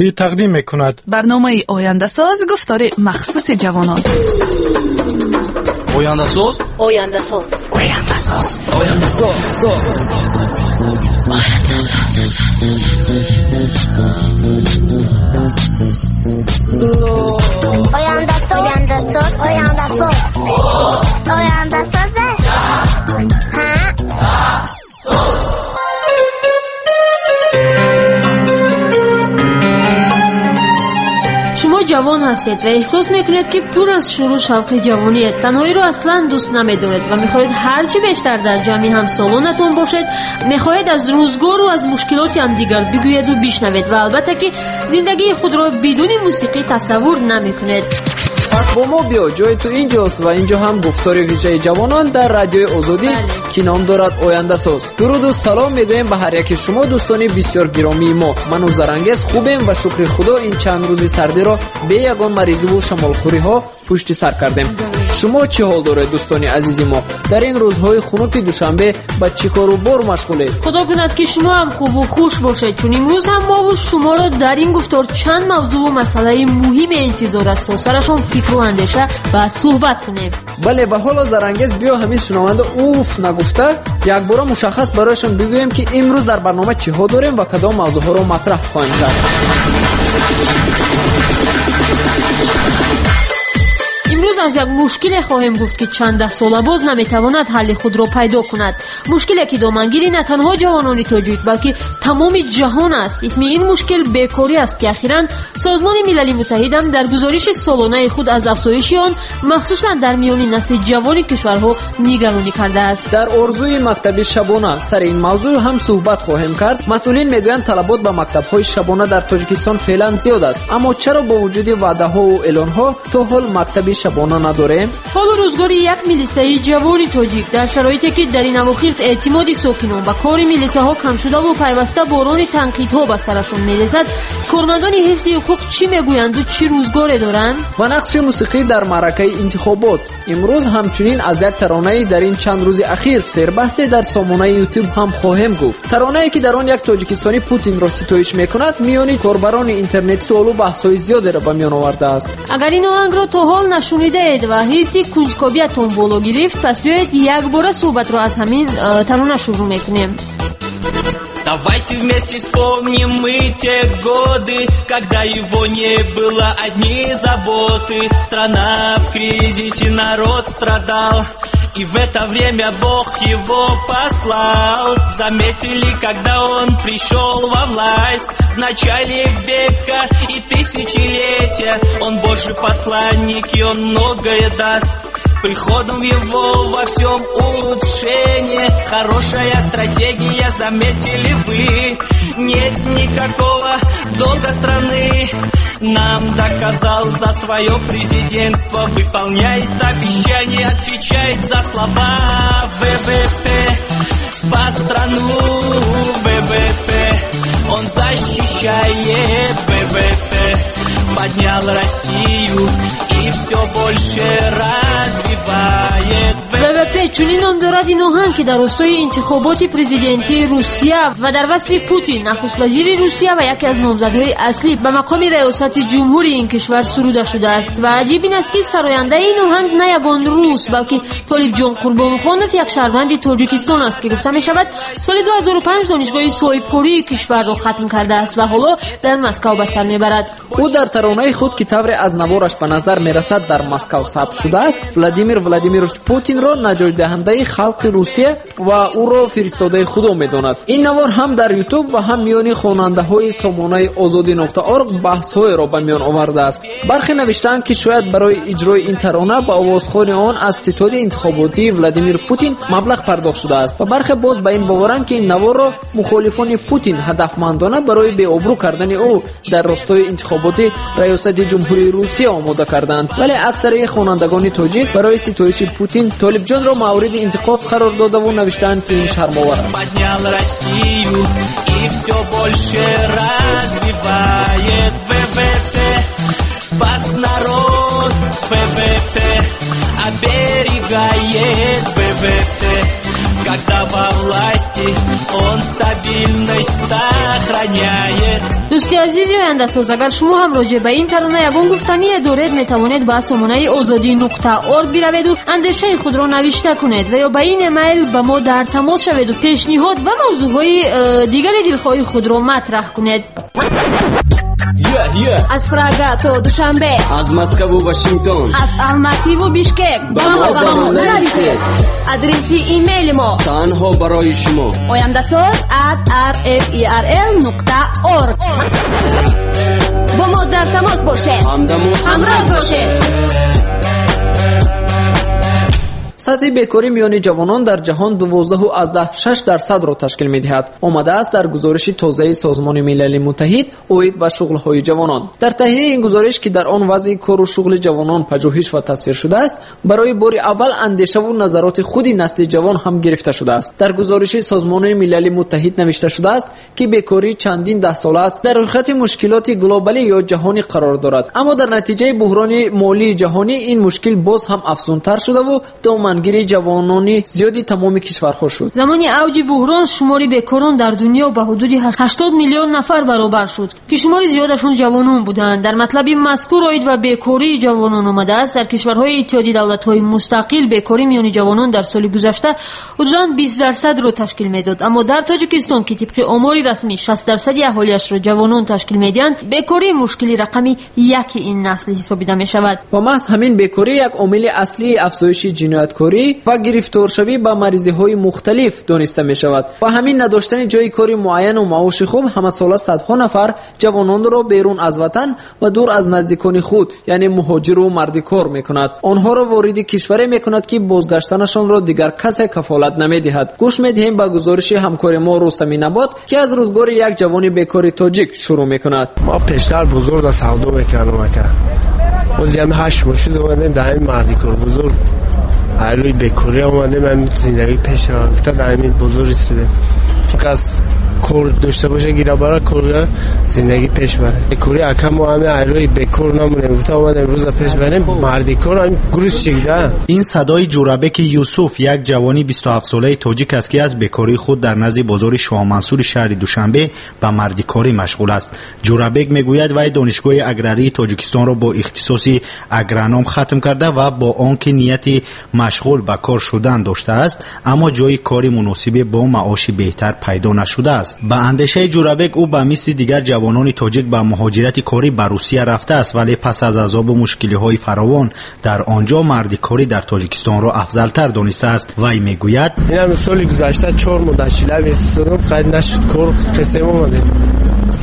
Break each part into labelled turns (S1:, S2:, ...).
S1: Тақдим мекунад.
S2: Барномаи Ояндасоз, гуфтори махсуси ҷавонон.
S3: Ояндасоз.
S4: Ояндасоз.
S3: Ояндасоз. Ояндасоз.
S5: Ояндасоз. Ояндасоз. Ояндасоз. Ояндасоз.
S6: Шумо ҷавон ҳастед ва эҳсос мекунед, ки пур аз шуру шавқи ҷавониед. Танҳоиро аслан дӯст намедоред ва мехоҳед ҳарчи бештар дар ҷамъи ҳамсолонатон бошед. Мехоҳед аз рӯзгору аз мушкилоти ҳамдигар бигӯеду бишнавед ва албатта, ки зиндагии худро бидуни мусиқӣ тасаввур намекунед.
S7: Пас бо мо биё, ҷои ту инҷост ва инҷо ҳам гуфтори вижаи ҷавонон дар Радиои Озодӣ, ки ном дорад Ояндасоз. Дуруду салом мегӯем ба ҳар яки шумо, дӯстони бисёр гиромии мо. Ману Зарангез хубем ва шукри Худо, ин чанд рӯзи сардиро бе ягон маризиву шамолхӯриҳо пушти сар кардем. Шумо чӣ ҳол доред, дӯстони азизи мо? Дар ин рӯзҳои хунуки Душанбе ба чӣ кору бор машғулед?
S6: Худо кунад, ки шумо ҳам хубу хуш бошед, чун имрӯз ҳам мову шуморо дар ин гуфтор чанд мавзӯъу масъалаи муҳиме интизор аст, то сарашон фикру андеша ва суҳбат кунем.
S7: Бале, ва ҳоло, Зарангез, биё ҳамин шунаванда уф нагуфта, якбора мушаххас барояшон бигӯем, ки имрӯз дар барнома чиҳо дорем ва кадом мавзӯъҳоро матраҳ хоҳем кард.
S6: Имрӯз аз як мушкиле хоҳем гуфт, ки чанд даҳсола боз наметавонад ҳалли худро пайдо кунад. Мушкиле, ки домангири на танҳо ҷавонони тоҷик, балки тамоми ҷаҳон аст. Исми ин мушкил бекорӣ аст, ки ахиран Созмони Милали Муттаҳидам дар гузориши солонаи худ аз афзоиши он, махсусан дар миёни насли ҷавони кишварҳо, нигаронӣ кардааст.
S7: Дар орзуи мактаби шабона сари ин мавзӯъ ҳам суҳбат хоҳем кард. Масъулин мегӯянд, талабот ба мактабҳои шабона дар Тоҷикистон феълан зиёд аст, аммо чаро бо вуҷуди ваъдаҳову эълонҳо то ҳол мактаби шабона надорем?
S6: Ҳолу рӯзгори як милисаи ҷавони тоҷик дар шароите, ки дар ин авохир эътимоди сокинон ба кори милисаҳо кам шудаву пайваста борони танқидҳо ба сарашон мерезад, кормандони ҳифзи ҳуқуқ чӣ мегӯянду чӣ рӯзгоре доранд?
S7: Ва нақши мусиқӣ дар маъракаи интихобот. Имрӯз ҳамчунин аз як таронаи дар ин чанд рӯзи ахир сербаҳсе дар сомонаи Ютуб ҳам хоҳем гуфт. Таронае, ки дар он як тоҷикистонӣ Путинро ситоиш мекунад, миёни корбарони интернет суолу баҳсҳои зиёдеро ба миён овардааст.
S6: Агар ин оҳангро то ҳол нашунидаед ва ҳисси кунҷкобиятон боло гирифт, пас биёед якбора суҳбатро аз ҳамин тарона шурӯъ мекунем.
S8: Давайте вместе вспомним мы те годы, когда его не было, одни заботы. Страна в кризисе, народ страдал, и в это время Бог его послал. Заметили, когда он пришел во власть в начале века и тысячелетия. Он Божий посланник, и он многое даст. С приходом его во всем улучшение. Хорошая стратегия, заметили вы. Нет никакого долга страны. Нам доказал за свое президентство. Выполняет обещания, отвечает за слова. ВВП спас страну, ВВП он защищает, ВВП поднял Россию и все больше развивает.
S6: ВВП чунин ном дорад ин оҳанг, ки дар ростои интихоботи президентии Русия ва дар васфи Путин, нахуствазири Русия ва яке аз номзадҳои аслӣ ба мақоми раёсати ҷумҳури ин кишвар, суруда шудааст. Ва аҷиб ин аст, ки сарояндаи ин оҳанг на ягон рус, балки Толибҷон Қурбонхонов, як шаҳрванди Тоҷикистон аст, ки гуфта мешавад, соли 2005 донишгоҳи соҳибкории кишварро хатм кардааст ва ҳоло дар Москав ба сар мебарад.
S7: Ӯ дар таронаи худ, ки тавре аз навораш ба назар мерасад, дар Москав сабт шудааст, Владимир Владимирович Путинро наҷотдиҳандаи халқи Русия ва ӯро фиристодаи Худо медонад. Ин навор ҳам дар Ютуб ва ҳам миёни хонандаҳои сомонаи Озодӣ нуқта орг баҳсҳоеро ба миён овардааст. Бархе навиштаанд, ки шояд барои иҷрои ин тарона ба овозхони он аз ситоди интихоботии Владимир Путин маблағ пардохт шудааст ва бархе боз ба ин боваранд, ки ин наворро мухолифони Путин ҳадафмандона барои беобрӯ кардани ӯ дар ростои интихоботи раёсати ҷумҳурии Русия омода карданд. Вале аксари хонандагони тоҷик барои ситоиши Путин Толибҷонро мавриди интиқод қарор додаву навиштаанд, ки ин шармовар аст.
S8: Поднял Россию и все больше развивает. ВВП спас народ, ВВП оберегает, ВВП Когда во власти он стабильность сохраняет.
S6: Дӯсти азизи ояндасоз, агар шумо ҳам роҷеъ ба ин тарона ягон гуфтание доред, метавонед ба сомонаи озодӣ нуқта орг бираведу андешаи худро навишта кунед ва ё ба ин эмайл ба мо дар тамос шаведу пешниҳод ва мавзӯъҳои дигари дилхоҳи худро матраҳ кунед.
S1: Аз Прага то Душанбе,
S4: аз Москву Вашингтон,
S6: аз Алмативу Бишкек
S4: ба мо нависед.
S1: Адреси имейли мо
S4: танҳо барои шумо:
S6: ояндасоз@rferl.org.
S1: Бо мо дар тамос бошед,
S4: ҳамдаму
S1: ҳамроз бошед.
S7: Сатҳи бекорӣ миёни ҷавонон дар ҷаҳон 12.6%-ро ташкил медиҳад. Омадааст дар гузориши тозаи Созмони Милали Муттаҳид оид ба шуғлҳои ҷавонон. Дар таҳияи ин гузориш, ки дар он вазъи кору шуғли ҷавонон пажӯҳиш ва тасвир шудааст, барои бори аввал андешаву назароти худи насли ҷавон ҳам гирифта шудааст. Дар гузориши Созмони Милали Муттаҳид навишта шудааст, ки бекорӣ чандин даҳсола аст дар рӯйхати мушкилоти глобалӣ ё ҷаҳонӣ қарор дорад. Аммо дар натиҷаи буҳрони молии ҷаҳонӣ ин мушкил боз ҳам афзунтар шудаву домангири ҷавонони зиёди тамоми кишварҳо шуд.
S6: Замони авҷи буҳрон шумори бекорон дар дунё ба ҳудуди 80 миллион нафар баробар шуд, ки шумори зиёдашон ҷавонон буданд. Дар матлаби мазкур оид ба бекории ҷавонон омадааст, дар кишварҳои Иттиҳоди давлатҳои мустақил бекорӣ миёни ҷавонон дар соли гузашта ҳудудан 20%-ро ташкил медод. Аммо дар Тоҷикистон, ки тибқи омори расмӣ 60% аҳолиашро ҷавонон ташкил медиҳанд, бекорӣ мушкили рақами яки ин насл ҳисобида мешавад.
S7: Ва маҳз ҳамин бекорӣ як омили аслии афзоиши ҷинояткорӣ ва гирифторшавӣ ба маризиҳои мухталиф дониста мешавад. Ва ҳамин надоштани ҷойи кори муайяну маоши хуб ҳамасола садҳо нафар ҷавононро берун аз ватан ва дур аз наздикони худ, яъне муҳоҷиру мардикор мекунад. Онҳоро вориди кишваре мекунад, ки бозгаштанашонро дигар касе кафолат намедиҳад. Гӯш медиҳем ба гузориши ҳамкори мо Рустами Набот, ки аз рӯзгори як ҷавони бекори тоҷик шурӯъ мекунад.
S9: Ма пештар бузург да савдо мекардам, ака. Боз ями 8 моҳ шуд омадем дар ҳамин мардикор бузург. Айлӯи бекорӣ омадем, ҳамин зиндагӣ пеш рафта дар ҳамин бозор истодем. Кас кор дошта боша, гира бара кор, зиндагӣ пеш барад. Бекорӣ ака, мо ҳамин айлӯи бекор намонем, гуфта омадем рӯза пеш барем, мардикор ҳамин грузчик да.
S10: Ин садои Ҷурабеки Юсуф, як ҷавони 27-солаи тоҷик аст, ки аз бекории худ дар назди бозори Шоҳмансури шаҳри Душанбе ба мардикорӣ машғул аст. Ҷурабек мегӯяд, вай Донишгоҳи аграрии Тоҷикистонро бо ихтисоси агроном хатм карда ва бо он ки нияти машғул ба кор шудан доштааст, аммо ҷойи кори муносибе бо маоши беҳтар пайдо нашудааст. Ба андешаи Ҷурабек, ӯ ба мисли дигар ҷавонони тоҷик ба муҳоҷирати корӣ ба Русия рафтааст, вале пас аз азобу мушкилиҳои фаровон дар он ҷо мардикорӣ дар Тоҷикистонро афзалтар донистааст. Вай мегӯяд:
S9: Инам соли гузашта 4 моҳ дар Челябинск истодам, қайд нашуд кор, қисем омадем.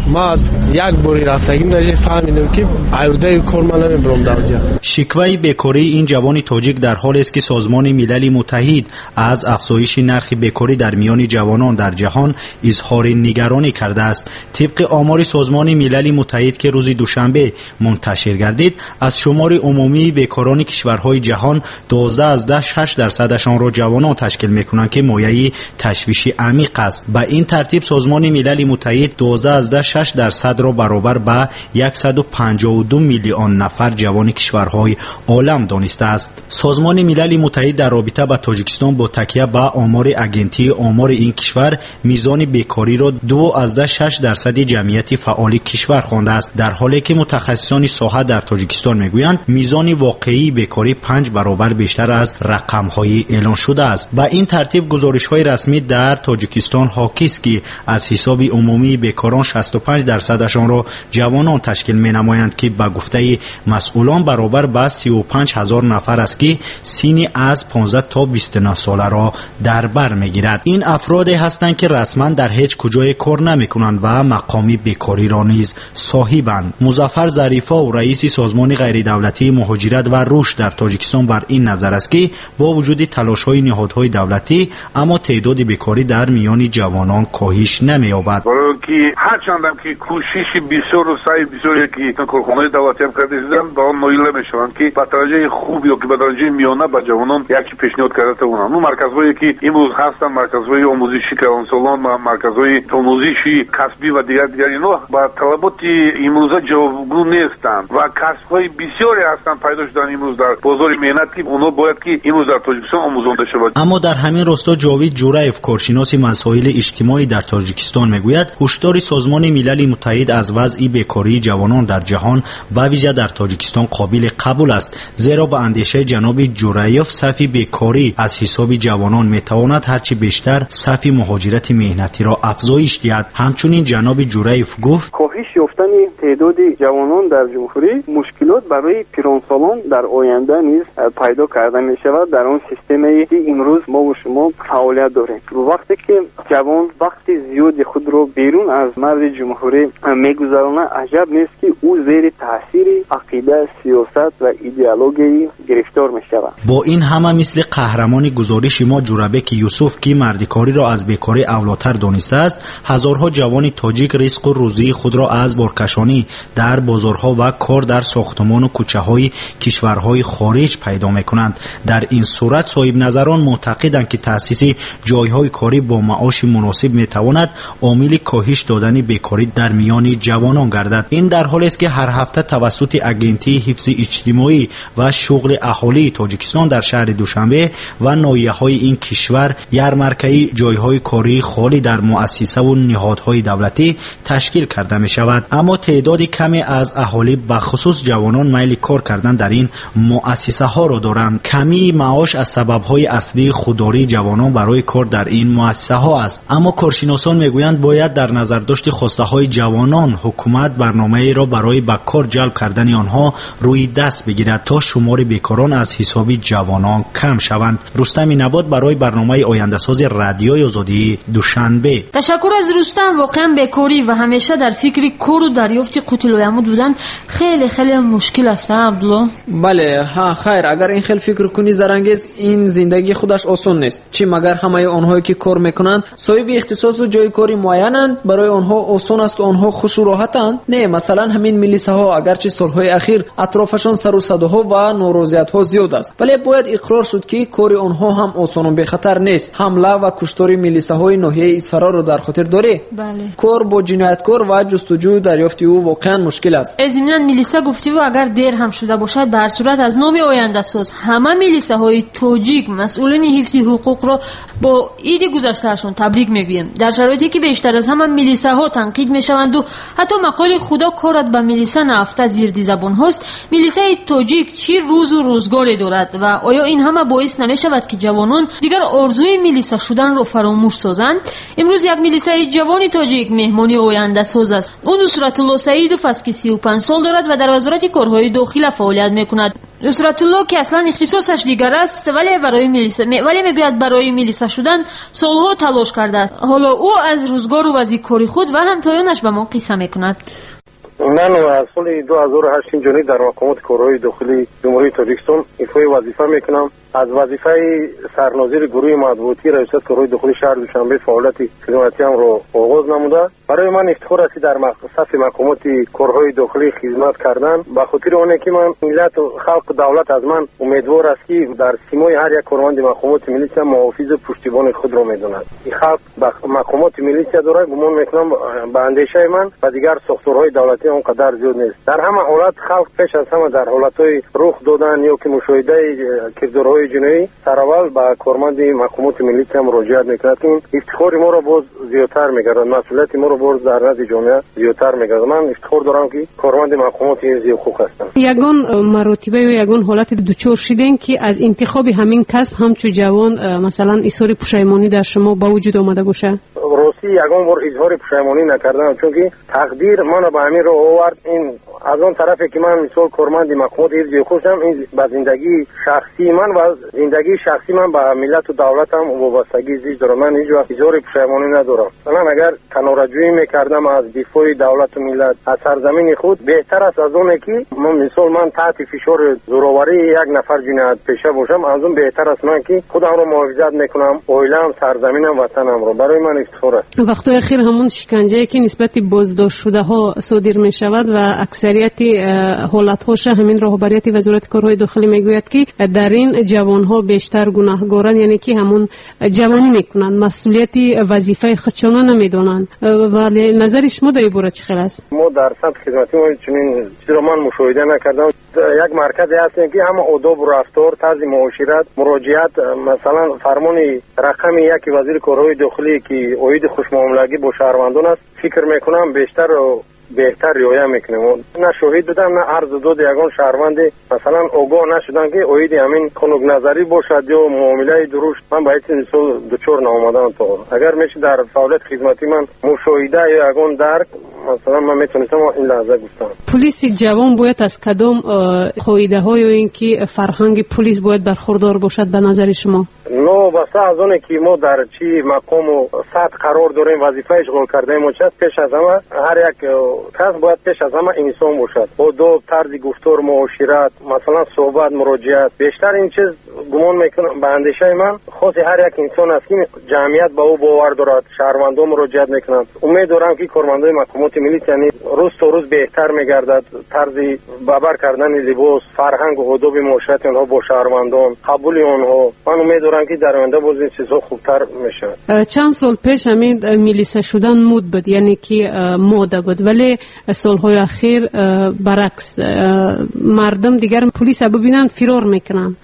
S9: Ма як бори рафтагим даже фаҳмидам, ки аюдаи кор ман намебарам дар онҷа.
S10: Шикваи бекории ин ҷавони тоҷик дар ҳолест, ки Созмони Милали Муттаҳид аз афзоиши нархи бекорӣ дар миёни ҷавонон дар ҷаҳон изҳори нигаронӣ кардааст. Тибқи омори Созмони Милали Муттаҳид, ки рӯзи душанбе мунташир гардид, аз шумори умумии бекорони кишварҳои ҷаҳон 12.6%-ашонро ҷавонон ташкил мекунанд, ки мояи ташвиши амиқ аст. Ба ин тартиб Созмони Милали Муттаҳид 12.6%-ро баробар ба 152 миллион нафар ҷавони кишварҳои олам донистааст. Созмони Милали Муттаҳид дар робита ба Тоҷикистон бо такя ба омори Агентии омори ин кишвар мизони бекориро 2.6% ҷамъияти фаъоли кишвар хондааст, дар ҳоле ки мутахассисони соҳа дар Тоҷикистон мегӯянд, мизони воқеии бекорӣ 5 баробар бештар аз рақамҳои эълон шудааст. Ба ин тартиб гузоришҳои расмӣ дар Тоҷикистон ҳокист, ки аз ҳисоби умумии бекорон 65%-ашонро ҷавонон ташкил менамоянд, ки ба гуфтаи масъулон баробар ба 35 ҳазор нафар аст, ки синни аз 15 то 29 соларо дар бар мегирад. Ин афроде ҳастанд, ки расман дар ҳеҷ куҷое кор намекунанд ва мақоми бекориро низ соҳибанд. Музаффар Зарифов, раиси Созмони ғайридавлатии муҳоҷират ва рушд дар Тоҷикистон, бар ин назар аст, ки бо вуҷуди талошҳои ниҳодҳои давлатӣ, аммо теъдоди бекорӣ дар миёни ҷавонон коҳиш намеёбад.
S11: Барои ки ҳарчанд мегӯям, ки кӯшиши бисёру саъи бисёре, ки корхонаҳои давлатиам карда шуданд, ба он ноил намешаванд, ки ба дараҷаи хуб ё ки ба дараҷаи миёна ба ҷавонон як чи пешниҳод карда тавонанд. Он марказҳое, ки имрӯз ҳастанд, марказҳои омӯзиши калонсолон ва марказҳои омӯзиши касбӣ ва дигар дигар, инҳо ба талаботи имрӯза ҷавобгӯ нестанд ва касбҳои бисёре ҳастанд, пайдо шуданд имрӯз дар бозори меҳнат, ки онҳо бояд ки имрӯз дар Тоҷикистон омӯзонда шавад.
S10: Аммо дар ҳамин росто Ҷовид Ҷураев, коршиноси масоили иҷтимоӣ дар Тоҷикистон, мегӯяд, ҳушдори Созмони Милали Муттаҳид аз вазъи бекории ҷавонон дар ҷаҳон, ба вижа дар Тоҷикистон, қобили қабул аст, зеро ба андешаи ҷаноби Ҷураев сафи бекорӣ аз ҳисоби ҷавонон метавонад ҳарчи бештар сафи муҳоҷирати меҳнатиро афзоиш диҳад. Ҳамчунин ҷаноби Ҷураев гуфт:
S12: коҳиш ёфтани теъдоди ҷавонон дар ҷумҳурӣ мушкилот барои пиронсолон дар оянда низ пайдо карда мешавад дар он системае, ки имрӯз мо бо шумо фаъолият дорем. Вақте ки ҷавон вақти зиёди худро берун аз марзи ҷумҳурӣ мегузаронад, аҷаб нест, ки ӯ зери таъсири ақида, сиёсат ва идеологияи гирифтор мешавад.
S10: Бо ин ҳама, мисли қаҳрамони гузориши мо Ҷурабеки Юсуф, ки мардикориро аз бекорӣ авлотар донистааст, ҳазорҳо ҷавони тоҷик ризқу рӯзии худро аз боркашонӣ дар бозорҳо ва кор дар сохтумону кӯчаҳои кишварҳои хориҷ пайдо мекунанд. Дар ин сурат соҳибназарон муътақиданд, ки таъсиси ҷойҳои корӣ бо маоши муносиб метавонад омили коҳиш додани бекорӣ дар миёни ҷавонон гардад. Ин дар ҳолест, ки ҳар ҳафта тавассути Агентии ҳифзи иҷтимоӣ ва шуғли аҳолии Тоҷикистон дар шаҳри Душанбе ва ноҳияҳои ин кишвар ярмаркаи ҷойҳои кории холӣ дар муассисаву ниҳодҳои давлатӣ ташкил карда мешавад. Аммо теъдоди каме аз аҳолӣ, бахусус ҷавонон, майли кор кардан дар ин муассисаҳоро доранд. Камии маош аз сабабҳои аслии худдории ҷавонон барои кор дар ин муассисаҳо аст. Аммо коршиносон мегӯянд, бояд дар назардошти хостаҳои ҷавонон ҳукумат барномаеро барои ба кор ҷалб кардани онҳо рӯи даст бигирад, то шумори бекорон аз ҳисоби ҷавонон кам шаванд. Рустами Набот барои барномаи ояндасози Радиои Озодии Душанбе.
S6: Ташаккур аз Рустам. Воқеан бекорӣ ва ҳамеша дар фикри кору дарёфти қутилоямуд будан хеле хеле мушкил аст, Абдулло.
S7: Бале, ҳа, хайр, агар ин хел фикр кунӣ, Зарангез, ин зиндагӣ худаш осон нест. Чӣ магар ҳамаи онҳое, ки кор мекунанд, соҳиби ихтисосу ҷои кори муайянанд, барои онҳо осон аст, онҳо хушу роҳатанд? Не, масалан, ҳамин милисаҳо, агарчи солҳои ахир атрофашон сару садоҳо ва норозиятҳо зиёд аст, вале бояд иқрор шуд, ки кори онҳо ҳам осону бехатар нест. Ҳамла ва куштори милисаҳои ноҳияи Исфараро дар хотир дорӣ?
S6: Бале.
S7: Кор бо ҷинояткор ва ҷустуҷӯю дарёфти ӯ воқеан мушкил аст.
S6: Зимнан милиса гуфтиву, агар дер ҳам шуда бошад, ба ҳар сурат аз номи ояндасоз ҳама милисаҳои тоҷик масъулини ҳифзи ҳуқуқро бо иди гузаштаашон табрик мегӯем. Дар шароите ки бештар аз ҳама милисаҳо танқид мешаванду ҳатто мақоли «худо корат ба милиса наафтад» вирди забонҳост, милисаи тоҷик чӣ рӯзу рӯзгоре дорад ва оё ин ҳама боис намешавад, ки ҷавонон дигар орзуи милиса шуданро фаромӯш созанд? Имрӯз як милисаи ҷавони тоҷик меҳмони ояндасоз аст. Ӯ Нусратулло Саидов аст, ки 35 сол дорад ва дар Вазорати корҳои дохила фаъолият мекунад. Нусратулло, ки аслан ихтисосаш дигар аст, вале барои милиса, вале мегӯяд, барои милиса шудан солҳо талош кардааст. Ҳоло ӯ аз рӯзгору вазъи кори худ ва ҳамтоёнаш ба мо қисса мекунад.
S13: Ман аз соли 2008 инҷониб дар мақомоти корҳои дохилии Ҷумҳурии Тоҷикистон ифои вазифа мекунам. Аз вазифаи сарнозири гурӯҳи матбуотии Раёсати корҳои дохилии шаҳри Душанбе фаъолияти хизматиамро оғоз намуда. Барои ман ифтихор аст, ки дар сафи мақомоти корҳои дохилӣ хизмат кардан, ба хотири оне ки ман миллату халқу давлат аз ман умедвор аст, ки дар симои ҳар як корманди мақомоти милитсия муҳофизу пуштибони худро медонад. Халқ ба мақомоти милитсия дорад, гумон мекунам, ба андешаи ман, ба дигар сохторҳои давлатӣ он қадар зиёд нест. Дар ҳама ҳолат халқ пеш аз ҳама дар ҳолатҳои рух додан ё ки мушоҳидаи кирдорҳои ҷиноӣ сараввал ба корманди мақомоти милитсия муроҷиат мекунад, ки ин ифтихори моро боз зиёдтар мегардад, масъулияти моро боз дар назди ҷомеа зиёдтар мегардад. Ман ифтихор дорам, ки корманди мақомоти ҳифзи ҳуқуқ ҳастам.
S14: Ягон маротиба ё ягон ҳолате дучор шидем, ки аз интихоби ҳамин касб ҳамчун ҷавон, масалан, изҳори пушаймонӣ дар шумо ба вуҷуд омада бошад?
S13: Ростӣ, ягон бор изҳори пушаймонӣ накардам, чунки тақдир маро ба ҳамин роҳ овард. Ин Аз он тарафе ки ман мисол корманди мақомоти ҳифзи ҳуқуқ шудам, ин ба зиндагии шахсии ман ва зиндагии шахсии ман ба миллату давлатам вобастагии зич дорад. Ман ҳеҷ вақт изҳори пушаймонӣ надорам. Масалан, агар канораҷӯӣ мекардам аз дифои давлату миллат, аз сарзамини худ, беҳтар аст аз оне ки мисол ман таҳти фишори зӯроварии як нафар ҷиноятпеша бошам. Аз он беҳтар аст ман ки худамро муҳофизат мекунам, оилаам, сарзаминам, ватанамро. Барои ман ифтихор аст.
S14: Вақтҳои охир ҳамон шиканҷае ки нисбати боздоштшудаҳо содир мешавад ва аксарияти ҳолатҳоша ҳамин роҳбарияти вазорати корҳои дохилӣ мегӯяд, ки дар ин ҷавонҳо бештар гунаҳгоранд, яъне ки ҳамон ҷавонӣ мекунанд, масъулияти вазифаи худшона намедонанд. Вале назари шумо дар ин бора чӣ хел аст?
S13: Мо дар самти хизматӣ мо чунин чизро ман мушоҳида накардам. Як марказе ҳастем ки ҳама одобу рафтор, тарзи муошират, муроҷиат, масалан фармони рақами яки вазири корҳои дохилӣ ки оиди хушмуомилагӣ бо шаҳрвандон аст, фикр мекунам бештар беҳтар риоя мекунем. На шоҳид будам, на арзу доди ягон шаҳрванде масалан огоҳ нашудам ки оиди ҳамин хунукназарӣ бошад ё муомилаи дурушт. Ман ба ҳайси мисол дучор наомадам то ҳол. Агар мешуд дар фаъолияти хизматии ман мушоҳида ё ягон дарк, масалан ман метавонистам ин лаҳза гуфтам.
S14: Пулиси ҷавон бояд аз кадом қоидаҳо ё ин ки фарҳанги пулис бояд бархурдор бошад ба назари шумо?
S13: Новобаста аз оне ки мо дар чӣ мақому сатҳ қарор дорем, вазифа ишғол кардаем, мо чист, пеш аз ҳама ҳар як кас бояд пеш аз ҳама инсон бошад. Одоб, тарзи гуфтор, муошират, масалан суҳбат, муроҷиат. Бештар ин чиз гумон мекунам ба андешаи ман хоси ҳар як инсон аст ки ҷамъият ба ӯ бовар дорад, шаҳрвандон муроҷиат мекунанд. Умед дорам ки кормандони мақомоти милитсия рӯз то рӯз беҳтар мегардад. Тарзи бабар кардани либос, фарҳангу одоби муоширати онҳо бо шаҳрвандон, қабули онҳо. Ман умед дорам ки дар оянда боз ин чизҳо хубтар мешавад.
S14: Чанд сол пеш ҳамин милиса шудан муд буд, яъне ки мода буд, вале солҳои ахир баръакс мардум дигар пулиса бибинанд фирор мекунанд.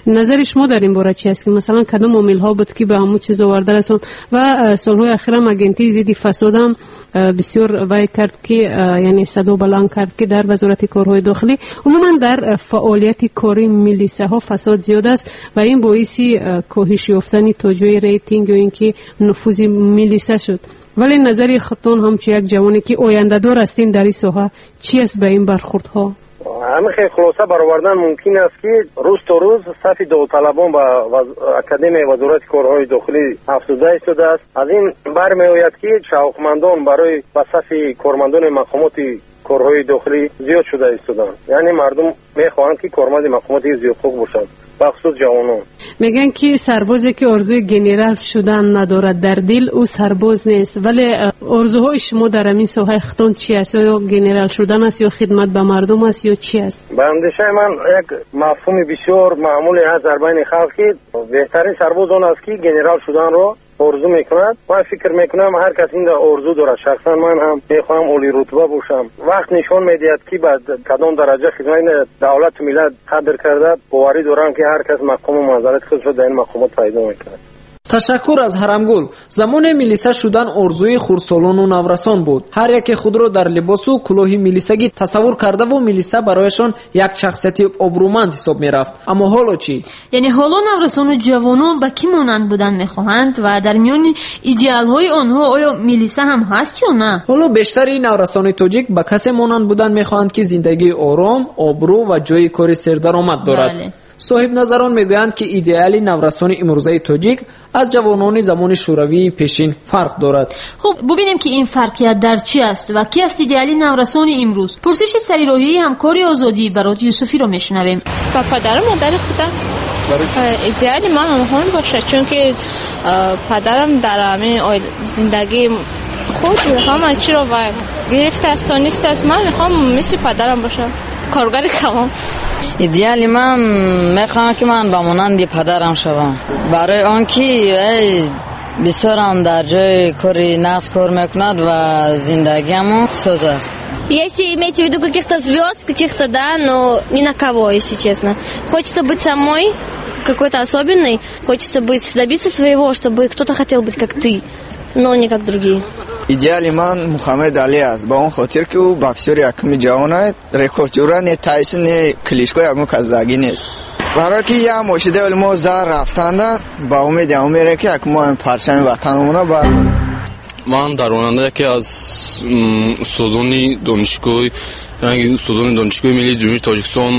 S14: Назари шумо дар ин бора чи аст ки масалан кадом омилҳо буд ки ба ҳамун чиз оварда расон ва солҳои ахирам агентии зидди фасодам бисёр вай кард ки яъне садо баланд кард ки дар вазорати корҳои дохилӣ умуман дар фаъолияти кори милисаҳо фасод зиёд аст ва ин боиси коҳиш ёфтани то ҷои рейтинг ё ин ки нуфузи милиса шуд. Вале назари худтон ҳамчун як ҷавоне ки ояндадор ҳастем дар ин соҳа чи аст ба ин бархурдҳо?
S13: Ҳамин хел хулоса баровардан мумкин аст ки рӯз то рӯз сафи довталабон ба академияи вазорати корҳои дохилӣ афзуда истодааст. Аз ин бармеояд ки шавқмандон барои ба сафи кормандони мақомоти корҳои дохилӣ зиёд шуда истоданд. Яъне мардум мехоҳанд ки корманди мақомоти ҳифзи ҳуқуқ бошанд, бахусус ҷавонон.
S14: Мегӯянд ки сарбозе ки орзуи генерал шудан надорад дар дил, ӯ сарбоз нест. Вале орзуҳои шумо дар ҳамин соҳаи худтон чи аст? Ё генерал шудан аст, ё хидмат ба мардум аст, ё чи аст?
S13: Ба андешаи ман як мафҳуми бисёр маъмуле ҳаст дар байни халқ ки беҳтарин сарбоз он аст ки генерал шуданро орзу мекунад. Ман фикр мекунам ҳар кас ин орзу дорад. Шахсан ман ҳам мехоҳам олирутба бошам. Вақт нишон медиҳад ки ба кадом дараҷа хидмати давлату миллат қадр карда, боварӣ дорам ки ҳар кас мақому манзалати худро дар ин мақомот пайдо мекунад.
S7: Ташаккур аз Ҳарамгул. Замоне милиса шудан орзуи хурдсолону наврасон буд. Ҳар яке худро дар либосу кулоҳи милисагӣ тасаввур кардаву милиса барояшон як шахсияти обрӯманд ҳисоб мерафт. Аммо ҳоло чӣ?
S6: Яъне ҳоло наврасону ҷавонон ба кӣ монанд будан мехоҳанд ва дар миёни идеалҳои онҳо оё милиса ҳам ҳаст ё на?
S7: Ҳоло бештари наврасони тоҷик ба касе монанд будан мехоҳанд ки зиндагии ором, обрӯ ва ҷойи кори сердаромад дорад. Соҳибназарон мегӯянд ки идеали наврасони имрӯзаи тоҷик аз ҷавонони замони шӯравии пешин фарқ дорад.
S6: Хуб, бубинем ки ин фарқият дар чӣ аст ва ки аст идеали наврасони имрӯз. Пурсиши сарироҳии ҳамкори Озодӣ Барот Юсуфиро мешунавем.
S15: Ба падару модари худам. Идеали ман онҳо бошад, чунки падарам дар ҳамин зиндагии худ ҳама чиро гирифтааст, тонистааст. Ман мехоҳам мисли падарам бошам, коргари калон.
S16: Идеали ман мехоҳам ки ман ба монанди падарам шавам, барои он ки бисёрам дар ҷои кори нағз кор мекунад ва зиндагиамон соз аст.
S1: Если имеете в виду каких-то звезд, каких-то, да, но ни на кого, если честно. Хочется быть самой какой-то особенной, хочется быть, добиться своего, чтобы кто-то хотел быть как ты, но не как другие.
S17: Идеали ман Мухаммед Али аст, ба он хотир ки ӯ боксёри якуми ҷаҳон аст, рекордёра не Тайсон, не Кличко, ягон кас заги нест. Барои ки як мошидаи мо зар рафтанда, ба умеди ҳамон мерем ки як мо парчами ватанамона бардорем.
S18: Ман дар оянда яке аз устодони донишгоҳи ранги устодони Донишгоҳи миллии Ҷумҳурии Тоҷикистон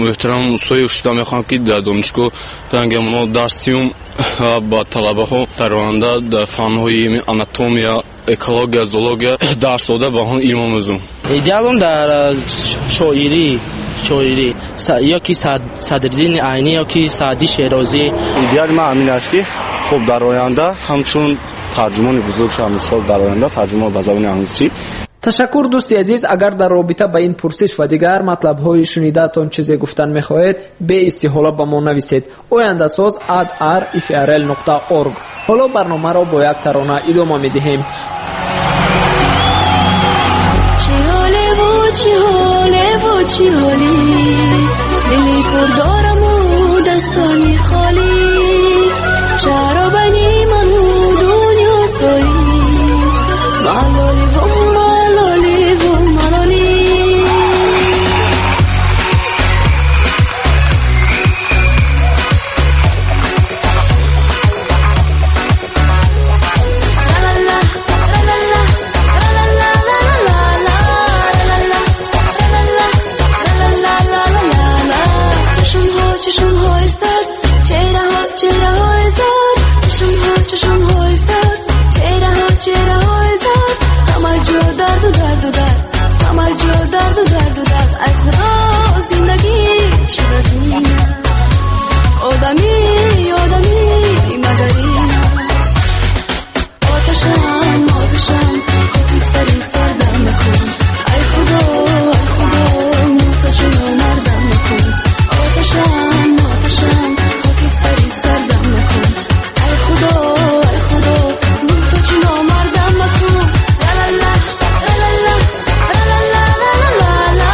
S18: муҳтарам Мусоев шуда мехоҳам, ки дар донишгоҳ ранги онҳо дарс диҳам ва ба талабаҳо дар оянда дар фанҳои анатомия, экология, зоология дарс дода ба онҳо илм омӯзам.
S19: Идеалам дар шоирӣ ё ки Садриддини Айнӣ ё ки Саъдӣ Шерозӣ.
S20: Идеали ман ҳамин аст, ки хуб дар оянда ҳамчун тарҷумони бузург шавам, мисол дар оянда тарҷумон ба забони англисӣ.
S7: Ташаккур, дӯсти азиз. Агар дар робита ба ин пурсиш ва дигар матлабҳои шунидаатон чизе гуфтан мехоҳед, беистиҳола ба мо нависед. Ояндасоз @rfrl.org. Ҳоло барномаро бо як тарона идома медиҳем.
S21: Чӣ ҳолеву чӣ ҳолӣ, дили пур дораму дастони холӣ, чаро байни ману дунё стоӣ, малоливу малоливу малолӣ. Ай худо, зиндагӣ чӣ вазнин аст, одамӣ одамӣ мадарин аст. Оташам оташам хокистари сардам накун, ай худо ай худо муҳтоҷу номардам накун. Оташам оташам хокистари сардам накун, ай худо ай худо муҳтоҷу номардам накун. Ла-ла-ла, ла-ла-ла, ла-ла-ла-ла-ла-ла.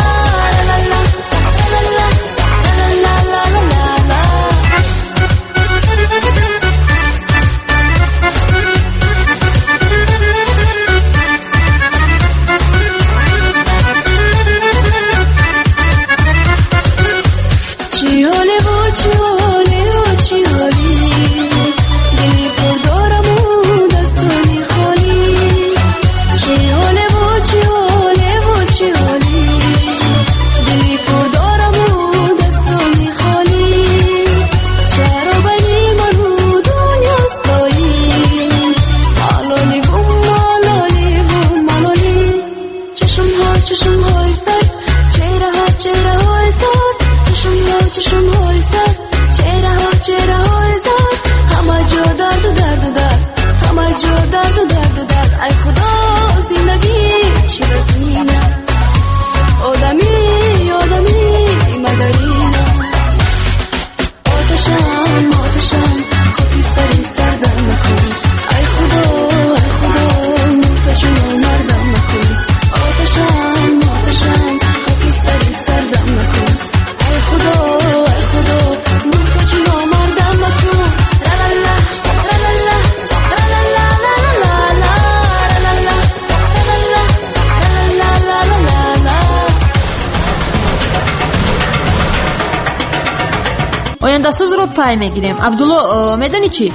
S6: Ояндасозро пай мегирем. Абдулло, медонӣ чӣ?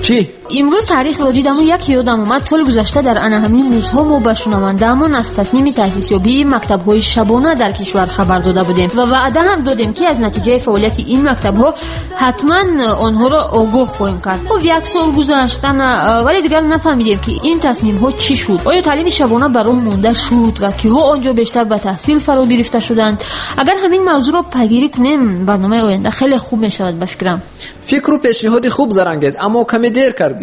S7: Чӣ?
S6: Имрӯз таърихро дидаму як ёдам омад. Соли гузашта дар ана ҳамин рӯзҳо мо ба шунавандаамон аз тасмими таъсисёбии мактабҳои шабона дар кишвар хабар дода будем ва ваъда ҳам додем, ки аз натиҷаи фаъолияти ин мактабҳо ҳатман онҳоро огоҳ хоҳем кард. Хуб, як сол гузашт, вале дигар нафаҳмидем, ки ин тасмимҳо чӣ шуд. Оё таълими шабона ба роҳ монда шуд ва киҳо он ҷо бештар ба таҳсил фаро гирифта шуданд? Агар ҳамин мавзӯъро пайгирӣ кунем, барномаи оянда хеле хуб мешавад ба фикрам.
S7: Фикру пешниҳоди хуб, Зарангез, аммо каме дер кардӣ.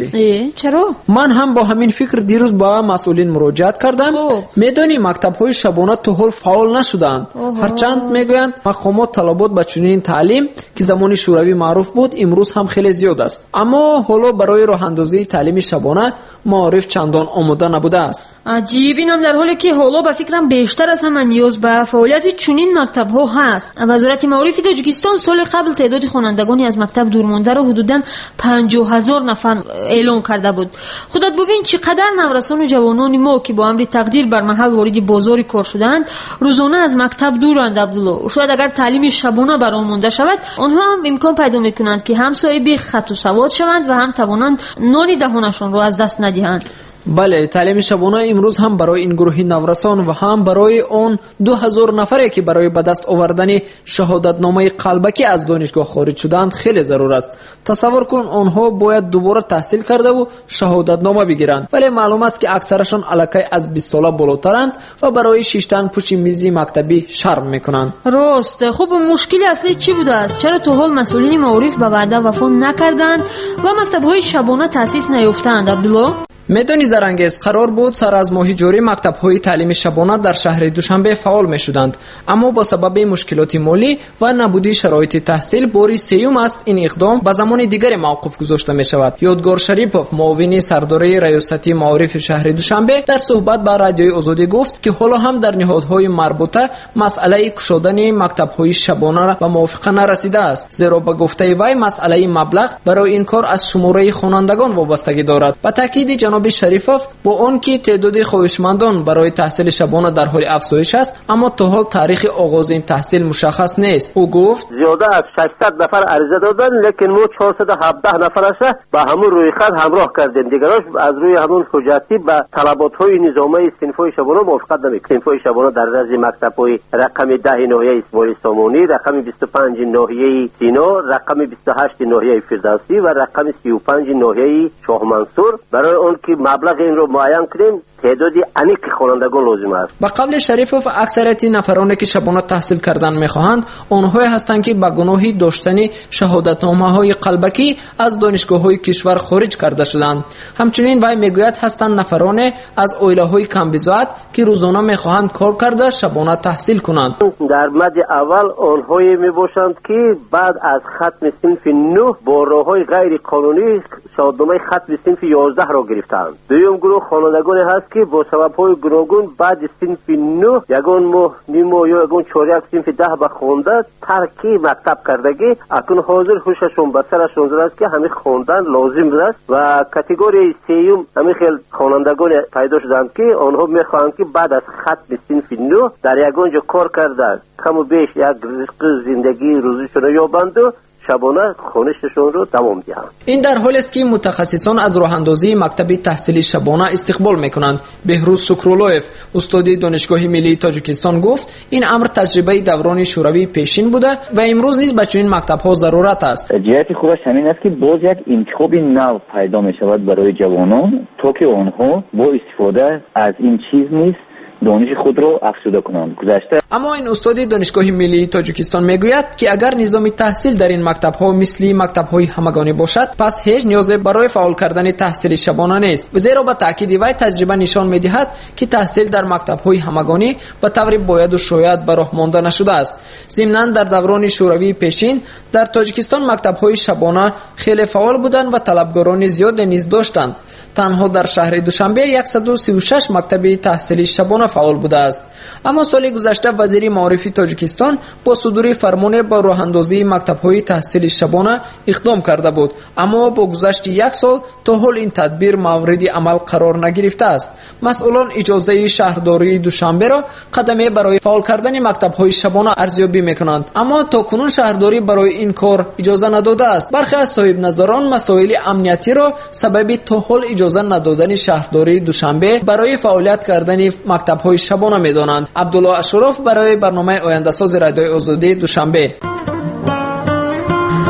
S6: Чаро?
S7: Ман ҳам бо ҳамин фикр дирӯз ба масъулин муроҷиат кардам. Медонӣ, мактабҳои шабона то ҳол фаъол нашудаанд. Ҳарчанд мегӯянд мақомот талабот ба чунин таълим, ки замони шӯравӣ маъруф буд, имрӯз ҳам хеле зиёд аст. Аммо ҳоло барои роҳандозии таълими шабона маориф чандон омода набудааст.
S6: Аҷиб, инам дар ҳоле ки ҳоло ба фикрам бештар аз ҳама ниёз ба фаъолияти чунин мактабҳо ҳаст. Вазорати маорифи Тоҷикистон соли қабл теъдоди хонандагони аз мактаб дурмондаро ҳудудан 50,000 нафар эълон карда буд. Худат бубин, чӣ қадар наврасону ҷавонони мо, ки бо амри тақдир бар маҳал вориди бозори кор шудаанд, рӯзона аз мактаб дуранд. Абдулло, шояд агар таълими шабона бар он монда шавад, онҳо ҳам имкон пайдо мекунанд, ки ҳам соҳиби хату савод шаванд ва ҳам тавонанд нони даҳонашонро аз даст надиҳанд.
S7: Бале, таълими шабона имрӯз ҳам барои ин гурӯҳи наврасон ва ҳам барои он 2000 нафаре, ки барои ба даст овардани шаҳодатномаи қалбакӣ аз донишгоҳ хориҷ шудаанд, хеле зарур аст. Тасаввур кун, онҳо бояд дубора таҳсил кардаву шаҳодатнома бигиранд, вале маълум аст, ки аксарашон аллакай аз 20 сола болотаранд ва барои шиштан пушти мизи мактабӣ шарм мекунанд.
S6: Рост. Хуб, мушкили аслӣ чӣ будааст? Чаро то ҳол масъулини маориф ба ваъда вафо накарданд ва мактабҳои шабона таъсис наёфтаанд, Абдулло?
S7: Медони, Зарангез, қарор буд сар аз моҳи ҷорӣ мактабҳои таълими шабона дар шаҳри Душанбе фаъол мешуданд, аммо бо сабаби мушкилоти молӣ ва набудии шароити таҳсил бори сеюм аст ин иқдом ба замони дигаре мавқуф гузошта мешавад. Ёдгор Шарипов, муовини сардори раёсати маорифи шаҳри Душанбе, дар суҳбат ба Радиои Озодӣ гуфт, ки ҳоло ҳам дар ниҳодҳои марбута масъалаи кушодани мактабҳои шабона ба мувофиқа нарасидааст, зеро ба гуфтаи вай масъалаи маблағ барои ин кор аз шумораи хонандагон вобастагӣ дорад. Ба таъкиди ҷаноби Шарифов, бо он ки теъдоди хоҳишмандон барои таҳсили шабона дар ҳоли афзоиш аст, аммо то ҳол таърихи оғози ин таҳсил мушаххас нест. Ӯ гуфт:
S2: зиёда аз 600 нафар ариза доданд, лекин мо 417 нафараша ба ҳамун рӯйхат ҳамроҳ кардем. Дигарош аз рӯи ҳамун ҳуҷҷатӣ ба талаботҳои низомаи синфҳои шабона мувофиқат намекунад. Синфҳои шабона дар назди мактабҳои рақами 10 ноҳияи Исмоили Сомонӣ, рақами 25 ноҳияи Сино, рақами 28 ноҳияи Фирдавсӣ ва рақами 35 ноҳияи Шоҳмансур. Барои он ки маблағи инро муайян кунем, теъдоди аниқи хонандагон лозим аст.
S7: Ба қавли Шарифов, аксарияти нафароне, ки шабона таҳсил кардан мехоҳанд, онҳое ҳастанд, ки ба гуноҳи доштани шаҳодатномаҳои қалбакӣ аз донишгоҳҳои кишвар хориҷ карда шуданд. Ҳамчунин вай мегӯяд, ҳастанд нафароне аз оилаҳои камбизоат, ки рӯзона мехоҳанд кор карда шабона таҳсил кунанд.
S2: Дар мади аввал онҳое мебошанд, ки баъд аз хатми синфи 9 бо роҳҳои ғайриқонунӣ шаҳодатномаи хатми синфи 11-ро гирифтаанд. Дуюм гурӯҳ хонандагоне ҳаст, ки бо сабабҳои гуногун баъди синфи 9 ягон моҳ, ним моҳ ё ягон чоряк синфи 10 ба хонда тарки мактаб кардагӣ, акнун ҳозир ҳушашон ба сарашон задааст, ки ҳамин хондан лозим будааст. Ва категорияи сеюм ҳамин хел хонандагоне пайдо шуданд, ки онҳо мехоҳанд, ки баъд аз хатми синфи 9 дар ягон ҷо кор карда каму беш як ризқи зиндагии рӯзишонро ёбанду шабона хонишашонро давом диҳанд.
S7: Ин дар ҳолест, ки мутахассисон аз роҳандозии мактаби таҳсили шабона истиқбол мекунанд. Беҳрӯз Шукруллоев, устоди Донишгоҳи миллии Тоҷикистон, гуфт, ин амр таҷрибаи даврони шӯравии пешин буда ва имрӯз низ ба чунин мактабҳо зарурат аст.
S22: Ҷиҳати хубаш ҳамин аст, ки боз як интихоби нав пайдо мешавад барои ҷавонон, то ки онҳо бо истифода аз ин чиз низ дониши худро афзуда кунанд. Гузашта.
S7: Аммо ин устоди Донишгоҳи миллии Тоҷикистон мегӯяд, ки агар низоми таҳсил дар ин мактабҳо мисли мактабҳои ҳамагонӣ бошад, пас ҳеҷ ниёзе барои фаъол кардани таҳсили шабона нест, зеро ба таъкиди вай таҷриба нишон медиҳад, ки таҳсил дар мактабҳои ҳамагонӣ ба таври бояду шояд ба роҳ монда нашудааст. Зимнан дар даврони шӯравии пешин дар Тоҷикистон мактабҳои шабона хеле фаъол буданд ва талабгорони зиёде низ доштанд. Танҳо дар шаҳри Душанбе 136 мактаби таҳсили шабона фаъол будааст. Аммо соли гузашта вазири маорифи Тоҷикистон бо судури фармоне ба роҳандозии мактабҳои таҳсили шабона иқдом карда буд, аммо бо гузашти як сол то ҳол ин тадбир мавриди амал қарор нагирифтааст. Масъулон иҷозаи шаҳрдории Душанберо қадаме барои фаъол кардани мактабҳои шабона арзёбӣ мекунанд, аммо то кунун шаҳрдорӣ барои ин кор иҷоза надодааст. Бархе аз соҳибназарон масоили амниятиро сабаби то ҳол иҷоза надодани шаҳрдории Душанбе барои фаъолият кардани мактабҳои шабона медонанд. Абдулло Ашуров барои барномаи ояндасози Радиои Озодӣ, Душанбе.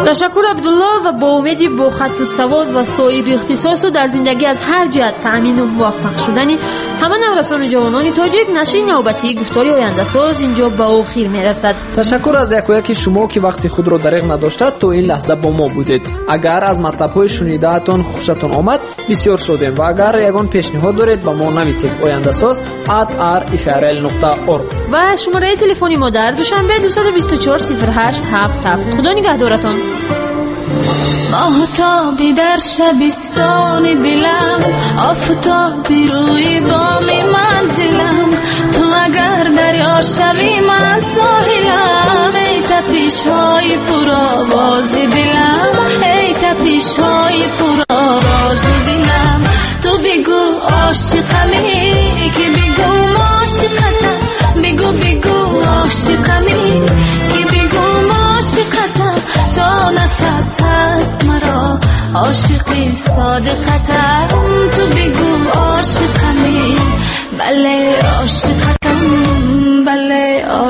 S6: Ташаккур, Абдулло, ва бо умеди бо хатту савод ва соҳиби ихтисосу дар зиндагӣ аз ҳар ҷиҳат таъмину муваффақ шудани ҳама наврасону ҷавонони тоҷик, нашри навбатии гуфтори ояндасоз инҷо ба охир мерасад.
S7: Ташаккур аз якояки шумо, ки вақти худро дареғ надошта то ин лаҳза бо мо будед. Агар аз матлабҳои шунидаатон хушатон омад, бисёр шодем ва агар ягон пешниҳод доред, ба мо нависед: ояндасоз@rfrl.org
S6: ва шумораи телефони мо дар Душанбе 224 08 77. Худо нигаҳдоратон.
S21: Моҳтоби дар шабистони дилам, офтоби рӯи боми манзилам, ту агар дарё шавӣ, ман соҳилам. Эй тапишҳои пуровози дилам, эй тапишҳои пуровози дилам, ту бигӯ ошиқами, ки бигӯ ошиқатам, бигӯ, бигӯ ошиқами, ки бигӯ ошиқатам, то нафас ҳаст маро ошиқи содиқатам, ту бигӯ.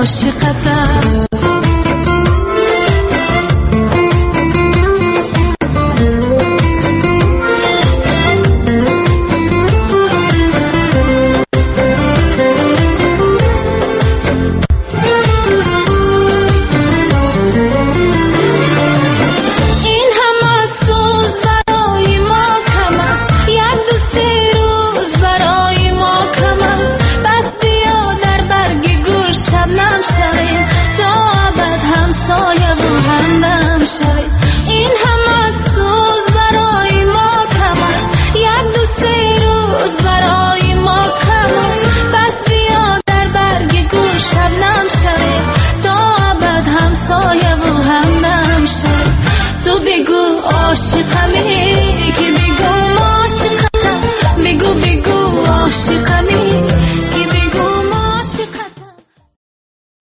S21: ошиқатам. Ин ҳама сӯз барои мо кам аст, як ду се рӯз барои мо кам аст. Пас биё дар барги гул шабнам шавем, то абад ҳамсояву ҳамдам шавем. Ин ҳама сӯз барои мо кам аст, як ду се рӯз барои мо кам аст. Пас биё дар барги гул шабнам шавем, то абад ҳамсояву ҳамдам шавем. Ту бигӯ ошиқатам.